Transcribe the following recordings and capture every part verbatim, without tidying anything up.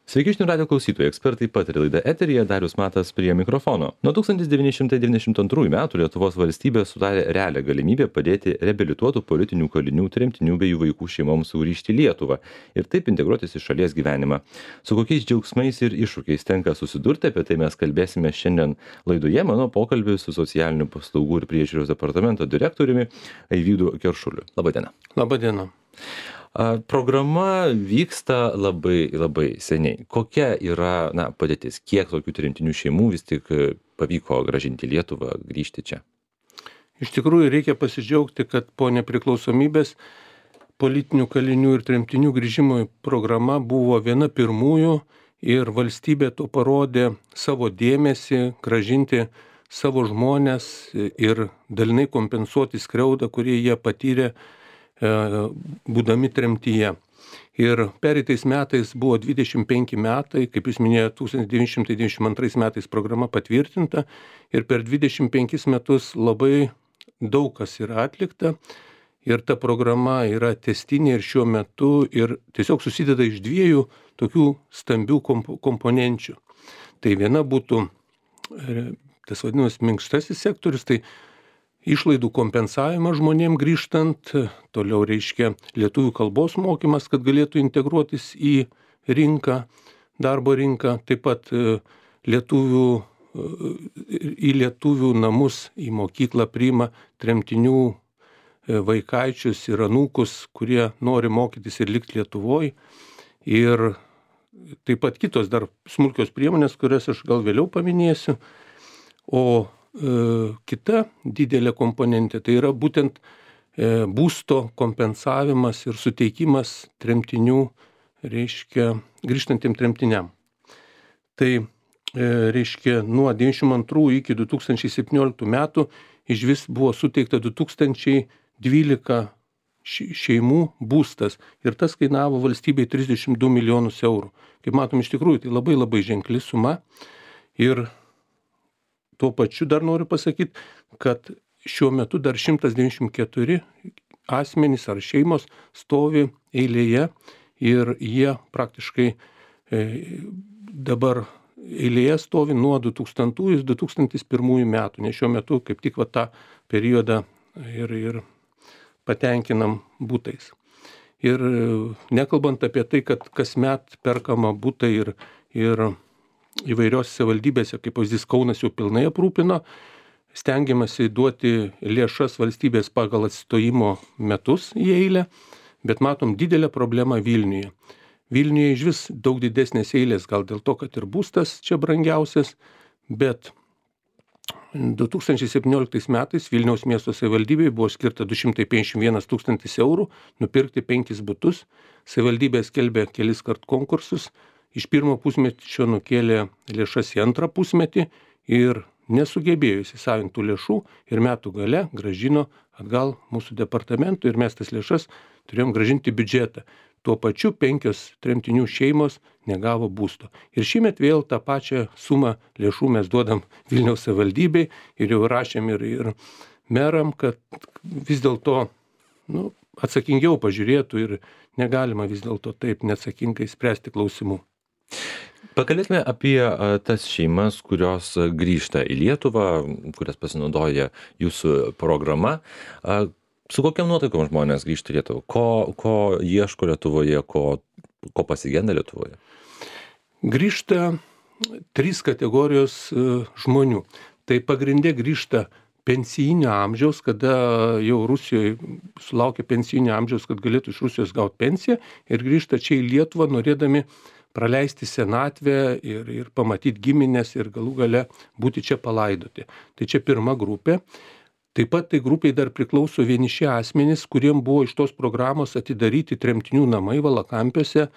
Sveiki, žinių radijo klausytojai, ekspertai pataria laida eteryje, Darius Matas prie mikrofono. Nuo tūkstantis devyni šimtai devyniasdešimt antrųjų metų Lietuvos valstybė sudarė realią galimybę padėti reabilituotų politinių kalinių, tremtinių bei jų vaikų šeimoms sugrįžti į Lietuvą ir taip integruotis į šalies gyvenimą. Su kokiais džiaugsmais ir iššūkiais tenka susidurti, apie tai mes kalbėsime šiandien laidoje. Mano pokalbis su socialinių paslaugų ir priežiūros departamento direktoriumi Eivydu Keršuliu. Labadiena. Labadiena. Programa vyksta labai, labai seniai. Kokia yra na, padėtis? Kiek tokių tremtinių šeimų vis tik pavyko grąžinti Lietuvą, grįžti čia? Iš tikrųjų reikia pasidžiaugti, kad po nepriklausomybės politinių kalinių ir tremtinių grįžimo programa buvo viena pirmųjų ir valstybė to parodė savo dėmesį grąžinti savo žmones ir dalinai kompensuoti skriaudą, kurį jie patyrė būdami tremtyje. Ir pereitais metais buvo dvidešimt penki metai, kaip jūs minėjote, tūkstantis devyni šimtai devyniasdešimt antrais metais programa patvirtinta ir per dvidešimt penkis metus labai daug kas yra atlikta ir ta programa yra tęstinė ir šiuo metu ir tiesiog susideda iš dviejų tokių stambių komp- komponenčių. Tai viena būtų tas vadinamas minkštasis sektorius, tai išlaidų kompensavimas žmonėm grįžtant, toliau reiškia lietuvių kalbos mokymas, kad galėtų integruotis į rinką, darbo rinką, taip pat lietuvių, į lietuvių namus, į mokyklą priima tremtinių vaikaičius ir anūkus, kurie nori mokytis ir likti Lietuvoje. Ir taip pat kitos dar smulkios priemonės, kurias aš gal vėliau paminėsiu. O kita didelė komponentė, tai yra būtent būsto kompensavimas ir suteikimas tremtinių, reiškia, grįžtantiem tremtiniam. Tai reiškia, nuo devyniasdešimt antrų iki du tūkstančiai septynioliktų metų iš vis buvo suteikta du tūkstančiai dvylika šeimų būstas ir tas kainavo valstybei trisdešimt du milijonus eurų. Kaip matom, iš tikrųjų, tai labai labai ženkli suma ir tuo pačiu dar noriu pasakyti, kad šiuo metu dar šimtas devyniasdešimt keturi asmenys ar šeimos stovi eilėje ir jie praktiškai e, dabar eilėje stovi nuo du tūkstantųjų iki du tūkstantis pirmųjų metų, nes šiuo metu kaip tik va tą periodą ir, ir patenkinam būtais. Ir nekalbant apie tai, kad kasmet perkama būtai ir, ir įvairios savivaldybėse, kaip pavyzdys Kaunas jau pilnai aprūpino, stengiamasi duoti lėšas valstybės pagal atstojimo metus į eilę, bet matom didelę problemą Vilniuje. Vilniuje iš vis daug didesnės eilės, gal dėl to, kad ir būstas čia brangiausias, bet du tūkstančiai septynioliktais metais Vilniaus miesto savivaldybei buvo skirta du šimtai penkiasdešimt vienas tūkstantis eurų nupirkti penkis butus. Savivaldybė skelbė kelis kart konkursus. Iš pirmo pusmečio nukėlė lėšas į antrą pusmetį ir nesugebėjo įsisavinti tų lėšų ir metų gale grąžino atgal mūsų departamentui ir mes tas lėšas turėjom grąžinti biudžetą. Tuo pačiu penkios tremtinių šeimos negavo būsto. Ir šįmet vėl tą pačią sumą lėšų mes duodam Vilniaus savivaldybei ir jau rašėm ir, ir meram, kad vis dėlto nu, atsakingiau pažiūrėtų ir negalima vis dėlto taip neatsakingai spręsti klausimų. Pakalbėkime apie tas šeimas, kurios grįžta į Lietuvą, kurias pasinaudoja jūsų programa. Su kokiam nuotaikom žmonės grįžta į Lietuvą? Ko, ko ieško Lietuvoje, ko, ko pasigenda Lietuvoje? Grįžta trys kategorijos žmonių. Tai pagrindė grįžta pensijinio amžiaus, kada jau Rusijoje sulaukia pensijinio amžiaus, kad galėtų iš Rusijos gauti pensiją ir grįžta čia į Lietuvą norėdami praleisti senatvę ir, ir pamatyti giminės ir galų gale būti čia palaidoti. Tai čia pirma grupė. Taip pat tai grupiai dar priklauso vieniši asmenys, kuriem buvo iš tos programos atidaryti tremtinių namai Valakampiuose,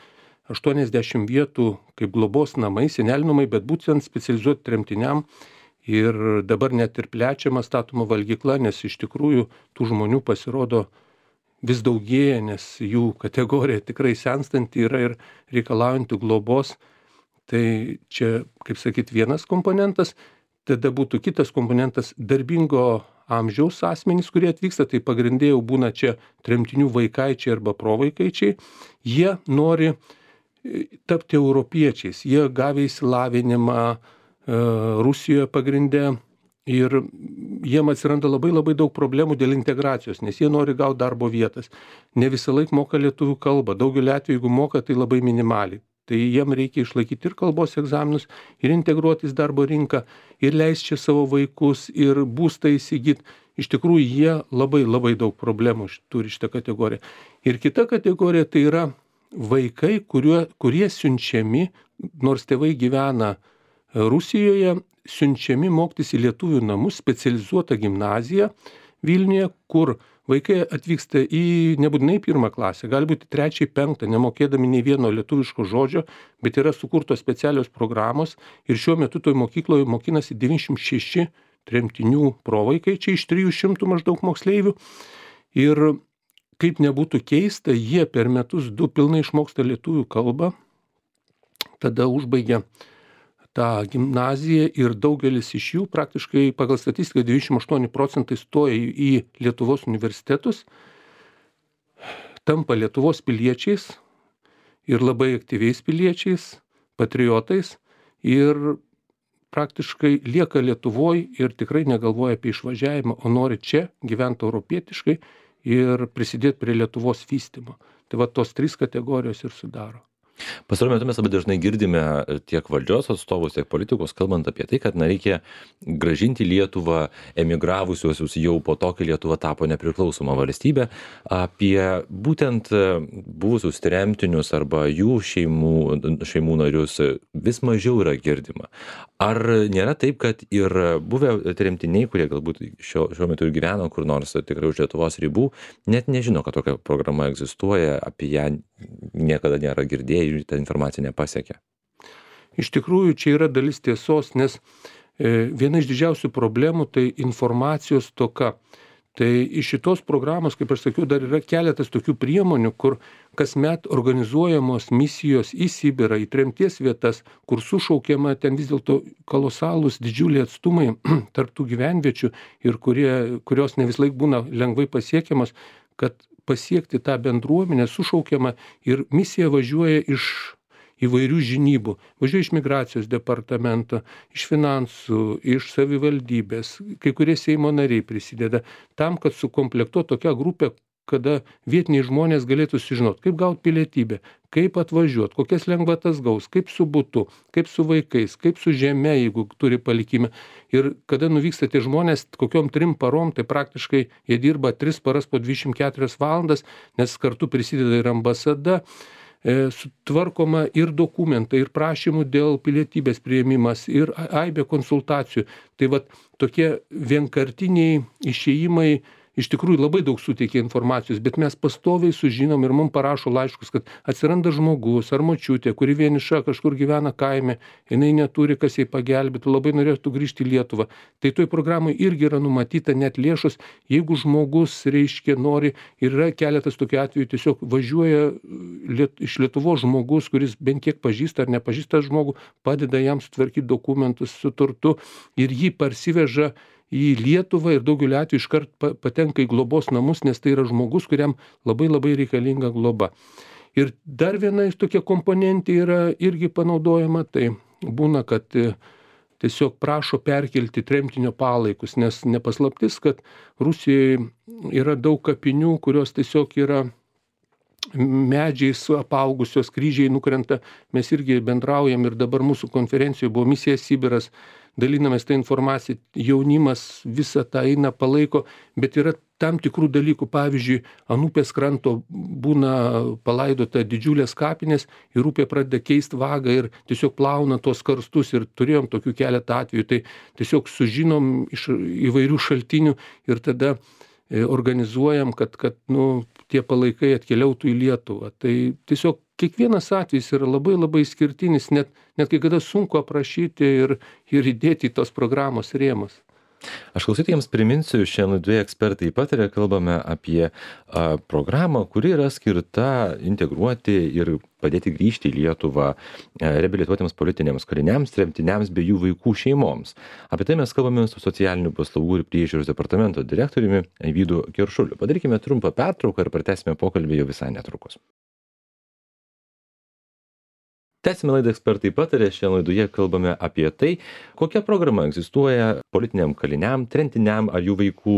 aštuoniasdešimt vietų kaip globos namai, senelių namai, bet būtent specializuoti tremtiniam. Ir dabar net ir plečiama statoma valgykla, nes iš tikrųjų tų žmonių pasirodo vis daugėja, nes jų kategorija tikrai senstanti yra ir reikalaujanti globos. Tai čia, kaip sakyt, vienas komponentas. Tada būtų kitas komponentas darbingo amžiaus asmenys, kurie atvyksta, tai pagrindė jau būna čia tremtinių vaikaičiai arba provaikaičiai. Jie nori tapti europiečiais. Jie gavę išsilavinimą Rusijoje pagrinde ir jiem atsiranda labai labai daug problemų dėl integracijos, nes jie nori gauti darbo vietas. Ne visą laiką moka lietuvių kalbą. Daugelį atvejų, jeigu moka, tai labai minimaliai. Tai jiem reikia išlaikyti ir kalbos egzaminus, ir integruotis darbo rinką, ir leisti čia savo vaikus, ir būstą įsigyti. Iš tikrųjų, jie labai labai daug problemų turi šitą kategoriją. Ir kita kategorija tai yra vaikai, kurie, kurie siunčiami, nors tėvai gyvena Rusijoje, siunčiami mokytis į lietuvių namus, specializuotą gimnaziją Vilniuje, kur vaikai atvyksta į nebūtinai pirmą klasę, gali būti trečią, penktą, nemokėdami nei vieno lietuviško žodžio, bet yra sukurtos specialios programos ir šiuo metu toj mokykloje mokinasi devyniasdešimt šeši tremtinių provaikai, čia iš trijų šimtų maždaug moksleivių. Ir kaip nebūtų keista, jie per metus du pilnai išmoksta lietuvių kalbą, tada užbaigia tą gimnaziją ir daugelis iš jų praktiškai pagal statistiką devyniasdešimt aštuoni procentai stoja į Lietuvos universitetus, tampa Lietuvos piliečiais ir labai aktyviais piliečiais, patriotais ir praktiškai lieka Lietuvoj ir tikrai negalvoja apie išvažiavimą, o nori čia gyventi europietiškai ir prisidėti prie Lietuvos vystymo. Tai va tos trys kategorijos ir sudaro. Pastaruoju metu mes labai dažnai girdime tiek valdžios atstovus, tiek politikus, kalbant apie tai, kad na, reikia grąžinti Lietuvą emigravusiuosius jau po to, kai Lietuva tapo nepriklausoma valstybė, apie būtent buvusius tremtinius arba jų šeimų, šeimų narius vis mažiau yra girdima. Ar nėra taip, kad ir buvę tremtiniai, kurie galbūt šio, šiuo metu ir gyveno kur nors tikrai už Lietuvos ribų, net nežino, kad tokia programa egzistuoja, apie ją niekada nėra girdėję ir ta informacija nepasiekia? Iš tikrųjų, čia yra dalis tiesos, nes viena iš didžiausių problemų tai informacijos stoka. Tai iš šitos programos, kaip aš sakiau, dar yra keletas tokių priemonių, kur kasmet organizuojamos misijos į Sibirą, į tremties vietas, kur sušaukiama ten vis dėlto kolosalūs didžiuliai atstumai tarp tų gyvenviečių ir kurie, kurios ne vis laik būna lengvai pasiekiamas, kad pasiekti tą bendruomenę sušaukiama ir misija važiuoja iš įvairių žinybų. Važiuoja iš migracijos departamento, iš finansų, iš savivaldybės, kai kurie Seimo nariai prisideda tam, kad sukomplektuotų tokią grupę, kada vietiniai žmonės galėtų sužinoti, kaip gauti pilietybę, kaip atvažiuoti, kokias lengvatas gaus, kaip su butu, kaip su vaikais, kaip su žeme, jeigu turi palikimą. Ir kada nuvyksta tie žmonės kokiom trim parom, tai praktiškai jie dirba tris paras po dvidešimt keturias valandas, nes kartu prisideda ir ambasada, e, sutvarkoma ir dokumentai, ir prašymų dėl pilietybės priėmimas, ir aibė konsultacijų. Tai vat tokie vienkartiniai išėjimai iš tikrųjų labai daug suteikia informacijos, bet mes pastoviai sužinom ir mums parašo laiškus, kad atsiranda žmogus ar močiutė, kuri vieniša kažkur gyvena kaime, jinai neturi, kas jai pagelbėtų, labai norėtų grįžti į Lietuvą. Tai toj programai irgi yra numatyta net lėšos, jeigu žmogus, reiškia, nori, ir yra keletas tokių atvejų, tiesiog važiuoja liet, iš Lietuvos žmogus, kuris bent kiek pažįsta ar nepažįsta žmogų, padeda jam sutvarkyti dokumentus su turtu ir jį parsiveža į Lietuvą ir daugeliu atveju iškart patenka į globos namus, nes tai yra žmogus, kuriam labai labai reikalinga globa. Ir dar viena iš tokia komponentė yra irgi panaudojama, tai būna, kad tiesiog prašo perkelti tremtinio palaikus, nes nepaslaptis, kad Rusijoje yra daug kapinių, kurios tiesiog yra medžiais apaugusios, kryžiai nukrenta. Mes irgi bendraujam ir dabar mūsų konferencijoje buvo misija Sibiras, dalinamės tą informaciją, jaunimas visą tą eina, palaiko, bet yra tam tikrų dalykų, pavyzdžiui, ant upės kranto būna palaidota didžiulės kapinės ir upė pradeda keisti vagą ir tiesiog plauna tos karstus ir turėjom tokių keletą atvejų, tai tiesiog sužinom iš įvairių šaltinių ir tada organizuojam, kad, kad nu, tie palaikai atkeliautų į Lietuvą. Tai tiesiog kiekvienas atvejis yra labai labai skirtinis, net, net kai kada sunku aprašyti ir, ir įdėti į tos programos rėmus. Aš klausytojams priminsiu, šiandien laidoje ekspertai pataria, kalbame apie a, programą, kuri yra skirta integruoti ir padėti grįžti į Lietuvą a, reabilituotiems politiniams kariniams, tremtiniams bei jų vaikų šeimoms. Apie tai mes kalbame su socialinių paslaugų ir priežiūros departamento direktoriumi Vydu Keršuliu. Padarykime trumpą pertrauką ir pratęsime pokalbį jau visai netrukus. Tęsime laidą Ekspertai pataria. Šiandien laidoje kalbame apie tai, kokia programa egzistuoja politiniam kaliniam, tremtiniam ar jų vaikų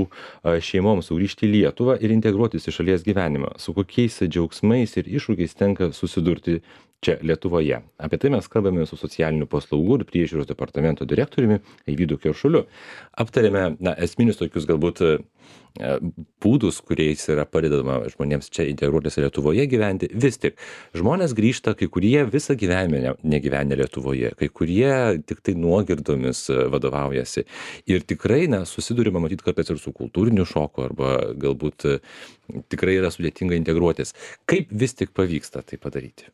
šeimoms sugrįžti į Lietuvą ir integruotis į šalies gyvenimą, su kokiais džiaugsmais ir iššūkiais tenka susidurti čia Lietuvoje. Apie tai mes kalbame su socialinių paslaugų ir priežiūros departamento direktoriumi Eivydu Keršuliu. Aptarėme na, esminius tokius galbūt būdus, kuriais yra padedama žmonėms čia integruotis Lietuvoje gyventi. Vis tik žmonės grįžta, kai kurie visą gyvenimą negyvenę Lietuvoje, kai kurie tik tai nuogirdomis vadovaujasi. Ir tikrai na, susidurima matyti kartais ir su kultūriniu šoku arba galbūt tikrai yra sudėtinga integruotis. Kaip vis tik pavyksta tai padaryti?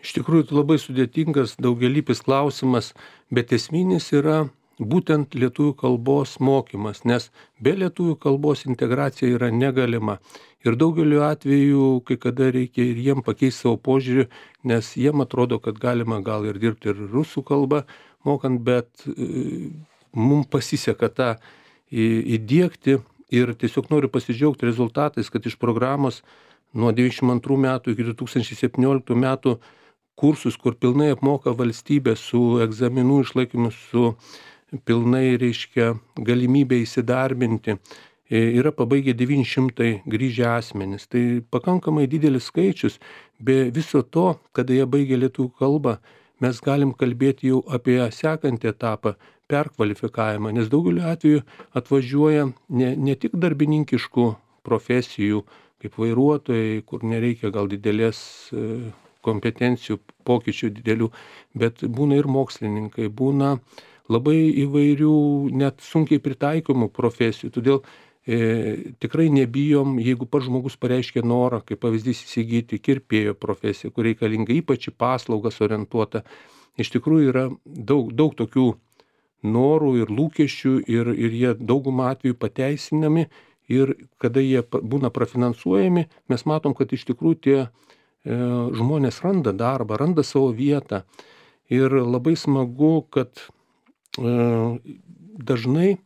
Iš tikrųjų, tai labai sudėtingas, daugelypis klausimas, bet esminis yra būtent lietuvių kalbos mokymas, nes be lietuvių kalbos integracija yra negalima. Ir daugeliu atveju, kai kada reikia ir jiem pakeisti savo požiūrį, nes jiem atrodo, kad galima gal ir dirbti ir rusų kalbą mokant, bet e, mums pasiseka tą įdiegti ir tiesiog noriu pasidžiaugti rezultatais, kad iš programos nuo devyniasdešimt antrų metų iki du tūkstančiai septynioliktų metų kursus, kur pilnai apmoka valstybė su egzaminų išlaikymu, su pilnai reiškia galimybė įsidarbinti, yra pabaigę devyni šimtai grįžę asmenys. Tai pakankamai didelis skaičius. Be viso to, kada jie baigė lietuvių kalbą, mes galim kalbėti jau apie sekantį etapą, perkvalifikavimą, nes daugeliu atveju atvažiuoja ne, ne tik darbininkiškų profesijų, kaip vairuotojai, kur nereikia gal didelės kompetencijų, pokyčių didelių, bet būna ir mokslininkai, būna labai įvairių, net sunkiai pritaikomų profesijų. Todėl e, tikrai nebijom, jeigu pats žmogus pareiškia norą, kaip pavyzdys įsigyti kirpėjo profesiją, kur reikalinga ypač į paslaugas orientuota. Iš tikrųjų yra daug, daug tokių norų ir lūkesčių ir, ir jie daugumą atveju pateisinami ir kada jie būna prafinansuojami, mes matom, kad iš tikrųjų tie e, žmonės randa darbą, randa savo vietą. Ir labai smagu, kad dažnai,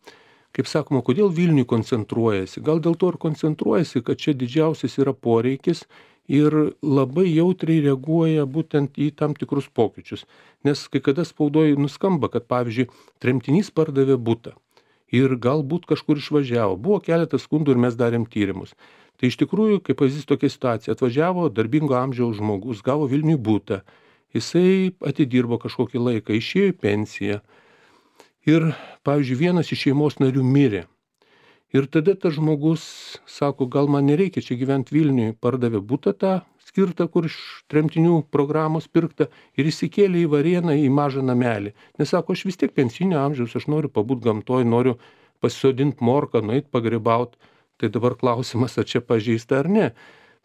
kaip sakoma, kodėl Vilniui koncentruojasi? Gal dėl to ir koncentruojasi, kad čia didžiausias yra poreikis ir labai jautriai reaguoja būtent į tam tikrus pokyčius. Nes kai kada spaudoje nuskamba, kad pavyzdžiui, tremtinys pardavė butą ir galbūt kažkur išvažiavo. Buvo keletas skundų ir mes darėm tyrimus. Tai iš tikrųjų, kaip pavyzdys tokia situacija, atvažiavo darbingo amžiaus žmogus, gavo Vilniui butą, jisai atidirbo kažkokį laiką, išėjo į pensiją. Ir, pavyzdžiui, vienas iš šeimos narių mirė. Ir tada tas žmogus sako, gal man nereikia čia gyventi Vilniui, pardavė butą tą skirtą, kur iš tremtinių programos pirkta ir įsikėlė į Varėną į mažą namelį. Nes sako, aš vis tiek pensinio amžiaus, aš noriu pabūt gamtoj, noriu pasisodinti morką, nueit pagrybaut. Tai dabar klausimas, ar čia pažeista ar ne.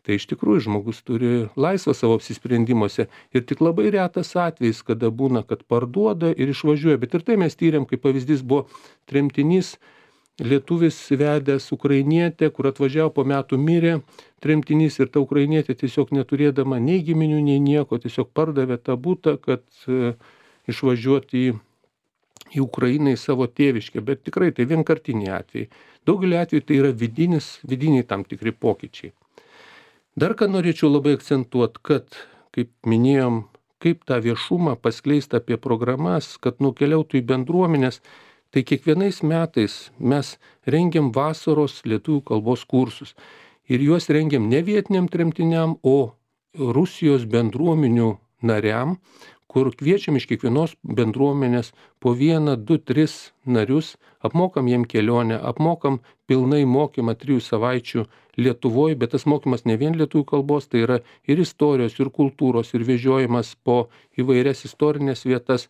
Tai iš tikrųjų žmogus turi laisvą savo apsisprendimuose ir tik labai retas atvejis, kada būna, kad parduoda ir išvažiuoja. Bet ir tai mes tyrėm, kaip pavyzdys buvo tremtinys, lietuvis vedęs ukrainietę, kur atvažiavo po metų mirė tremtinys ir ta ukrainietė tiesiog neturėdama nei giminių, nei nieko, tiesiog pardavė tą butą, kad e, išvažiuoti į, į Ukrainą, į savo tėviškę. Bet tikrai tai vienkartiniai atvejai. Daugelį atvejų tai yra vidinis, vidiniai tam tikri pokyčiai. Dar ką norėčiau labai akcentuoti, kad, kaip minėjom, kaip tą viešumą paskleisti apie programas, kad nukeliautų į bendruomenės, tai kiekvienais metais mes rengiam vasaros lietuvių kalbos kursus. Ir juos rengiam ne vietiniam tremtiniam, o Rusijos bendruomenių nariam, kur kviečiam iš kiekvienos bendruomenės po vieną, du, tris narius, apmokam jiem kelionę, apmokam pilnai mokymą trijų savaičių Lietuvoje, bet tas mokymas ne vien lietuvių kalbos, tai yra ir istorijos, ir kultūros, ir vežiojimas po įvairias istorinės vietas.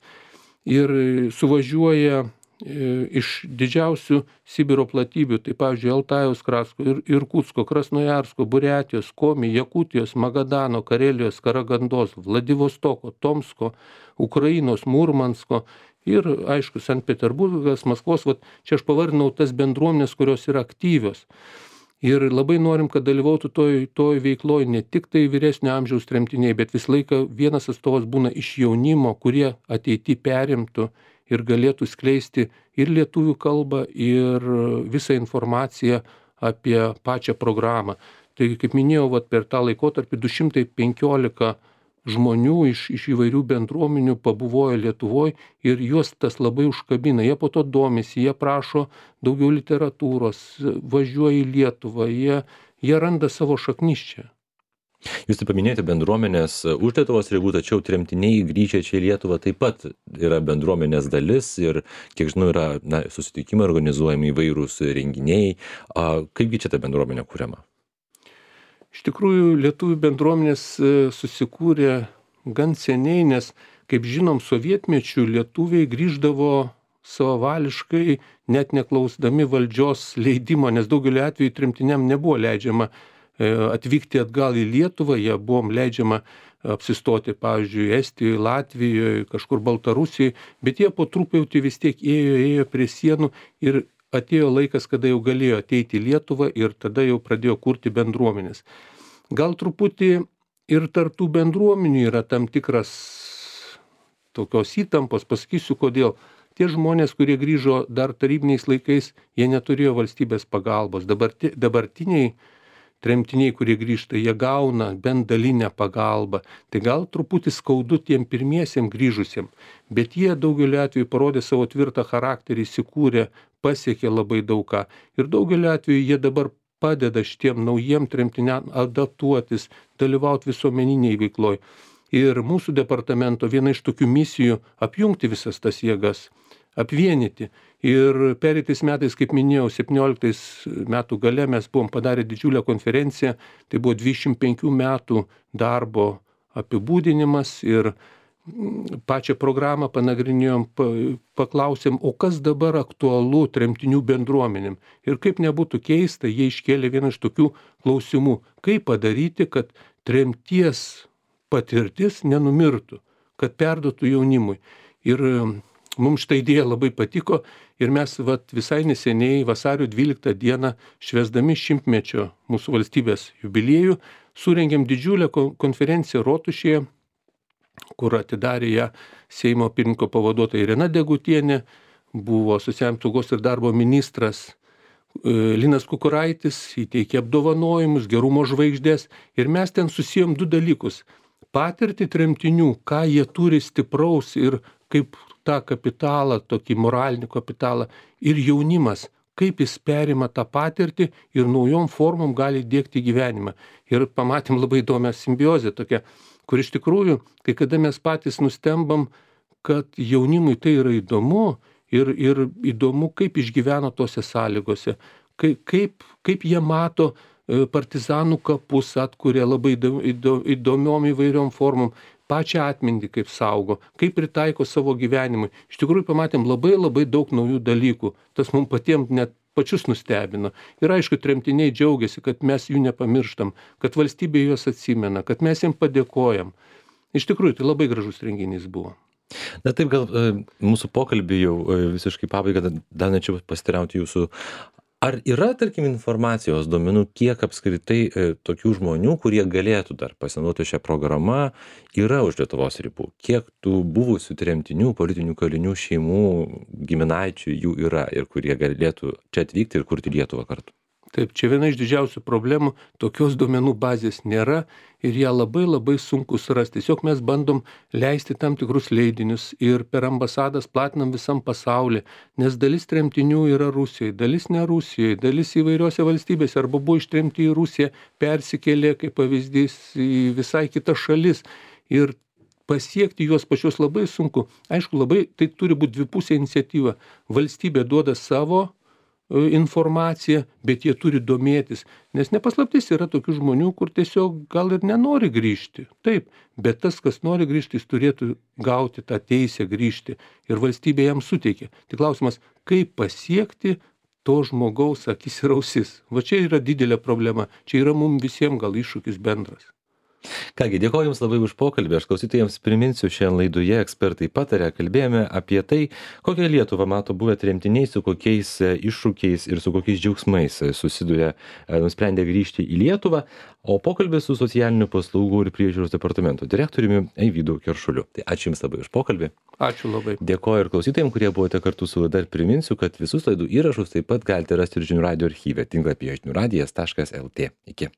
Ir suvažiuoja iš didžiausių Sibiro platybių, tai pavyzdžiui, Altajaus krašto, ir Irkutsko, Krasnojarsko, Buriatijos, Komi, Jakutijos, Magadano, Karelijos, Karagandos, Vladivostoko, Tomsko, Ukrainos, Murmansko ir, aišku, Sankt Peterburgas, Maskvos. Vat čia aš pavardinau tas bendruomenės, kurios yra aktyvios. Ir labai norim, kad dalyvautų toj, toj veikloj ne tik tai vyresnio amžiaus tremtiniai, bet visą laiką vienas atstovas būna iš jaunimo, kurie ateity perimtų ir galėtų skleisti ir lietuvių kalbą, ir visą informaciją apie pačią programą. Tai, kaip minėjau, vat, per tą laikotarpį du šimtai penkiolika žmonių iš, iš įvairių bendruomenių pabuvojo Lietuvoje ir juos tas labai užkabina. Jie po to domisi, jie prašo daugiau literatūros, važiuoja į Lietuvą, jie, jie randa savo šaknis čia. Jūs taip paminėjote bendruomenės už Lietuvos ribų, tačiau tremtiniai grįžę čia į Lietuvą taip pat yra bendruomenės dalis ir, kiek žinau, yra na, susitikimai organizuojami įvairūs renginiai. A, kaipgi čia ta bendruomenė kuriama? Iš tikrųjų, lietuvių bendruomenės susikūrė gan seniai, nes, kaip žinom, sovietmečių lietuviai grįždavo savavališkai, net neklausdami valdžios leidimo, nes daugelį atvejų tremtiniam nebuvo leidžiama atvykti atgal į Lietuvą, jie buvom leidžiama apsistoti, pavyzdžiui, Estijoje, Latvijoje, kažkur Baltarusijoje, bet jie po truputį vis tiek ėjo, ėjo prie sienų ir atėjo laikas, kada jau galėjo ateiti į Lietuvą ir tada jau pradėjo kurti bendruomenės. Gal truputį ir tarp tų bendruomenių yra tam tikras tokios įtampos, pasakysiu kodėl. Tie žmonės, kurie grįžo dar tarybiniais laikais, jie neturėjo valstybės pagalbos. Dabarti, dabartiniai tremtiniai, kurie grįžta, jie gauna bent dalinę pagalbą. Tai gal truputį skaudu tiem pirmiesiem grįžusiem, bet jie daugeliu atveju parodė savo tvirtą charakterį, įsikūrė, pasiekė labai daug ką. Ir daugeliu atveju jie dabar padeda šitiem naujiem tremtiniam adaptuotis, dalyvauti visuomeniniai veikloj. Ir mūsų departamento viena iš tokių misijų apjungti visas tas jėgas, apvienyti. Ir pereitais metais, kaip minėjau, septynioliktais metų gale mes buvom padarę didžiulę konferenciją, tai buvo dvidešimt penkių metų darbo apibūdinimas ir pačią programą panagrinėjom, paklausėm, o kas dabar aktualu tremtinių bendruomenėm. Ir kaip nebūtų keista, jie iškėlė vieną iš tokių klausimų, kaip padaryti, kad tremties patirtis nenumirtų, kad perduotų jaunimui. Ir mums šitą idėją labai patiko ir mes vat, visai neseniai vasario dvyliktą dieną, švęsdami šimtmečio mūsų valstybės jubiliejų, surengėm didžiulę konferenciją Rotušėje, kur atidarė ją Seimo pirmininko pavaduotoja Irena Degutienė, buvo socialinės apsaugos ir darbo ministras Linas Kukuraitis, įteikė apdovanojimus, gerumo žvaigždės ir mes ten susijom du dalykus. Patirtį tremtinių, ką jie turi stipraus ir kaip tą kapitalą, tokį moralinį kapitalą, ir jaunimas, kaip jis perima tą patirtį ir naujom formom gali dėkti gyvenimą. Ir pamatėm labai įdomią simbiozę tokią, kur iš tikrųjų, kai kada mes patys nustembam, kad jaunimui tai yra įdomu ir, ir įdomu, kaip išgyveno tose sąlygose, kaip, kaip, kaip jie mato partizanų kapus, atkuria labai įdomiom įvairiom formom, pačią atmintį kaip saugo, kaip pritaiko savo gyvenimui. Iš tikrųjų pamatėm labai labai daug naujų dalykų, tas mums patiems net pačius nustebino. Ir aišku, tremtiniai džiaugiasi, kad mes jų nepamirštam, kad valstybė juos atsimena, kad mes jiems padėkojam. Iš tikrųjų, tai labai gražus renginys buvo. Na taip, gal mūsų pokalbį jau visiškai pabaigą, dar norėčiau pasiteirauti jūsų. Ar yra, tarkim, informacijos duomenų, kiek apskritai e, tokių žmonių, kurie galėtų dar pasinaudoti šią programą, yra už Lietuvos ribų? Kiek tų buvusių tremtinių, politinių kalinių šeimų, giminaičių jų yra ir kurie galėtų čia atvykti ir kurti Lietuvą kartu? Taip, čia viena iš didžiausių problemų, tokios duomenų bazės nėra ir ją labai labai sunku surasti. Tiesiog mes bandom leisti tam tikrus leidinius ir per ambasadas platinam visam pasaulyje, nes dalis tremtinių yra Rusijoje, dalis ne Rusijoje, dalis įvairiose valstybėse arba buvo ištremti į Rusiją, persikėlė kaip pavyzdys į visai kitas šalis ir pasiekti juos pačius labai sunku. Aišku, labai tai turi būti dvipusė iniciatyva. Valstybė duoda savo informaciją, bet jie turi domėtis, nes nepaslaptis yra tokių žmonių, kur tiesiog gal ir nenori grįžti. Taip, bet tas, kas nori grįžti, jis turėtų gauti tą teisę grįžti ir valstybė jam suteikia. Tik klausimas, kaip pasiekti to žmogaus akis ir ausis. Va čia yra didelė problema, čia yra mums visiems gal iššūkis bendras. Kągi, dėkoju Jums labai už pokalbį. Aš klausytojams priminsiu, šiandien laidoje ekspertai patarė, kalbėjome apie tai, kokią Lietuvą mato buvę tremtiniai, su kokiais iššūkiais ir su kokiais džiaugsmais susiduria, nusprendė grįžti į Lietuvą, o pokalbį su socialinių paslaugų ir priežiūros departamento direktoriumi Eivydu Keršuliu. Tai ačiū Jums labai už pokalbį. Ačiū labai. Dėkoju ir klausytojams, kurie buvote kartu su laida. Priminsiu, kad visus laidų įrašus taip pat galite rasti ir Žinių radijo archyve tinklapyje žinių radijas taškas lt. Iki.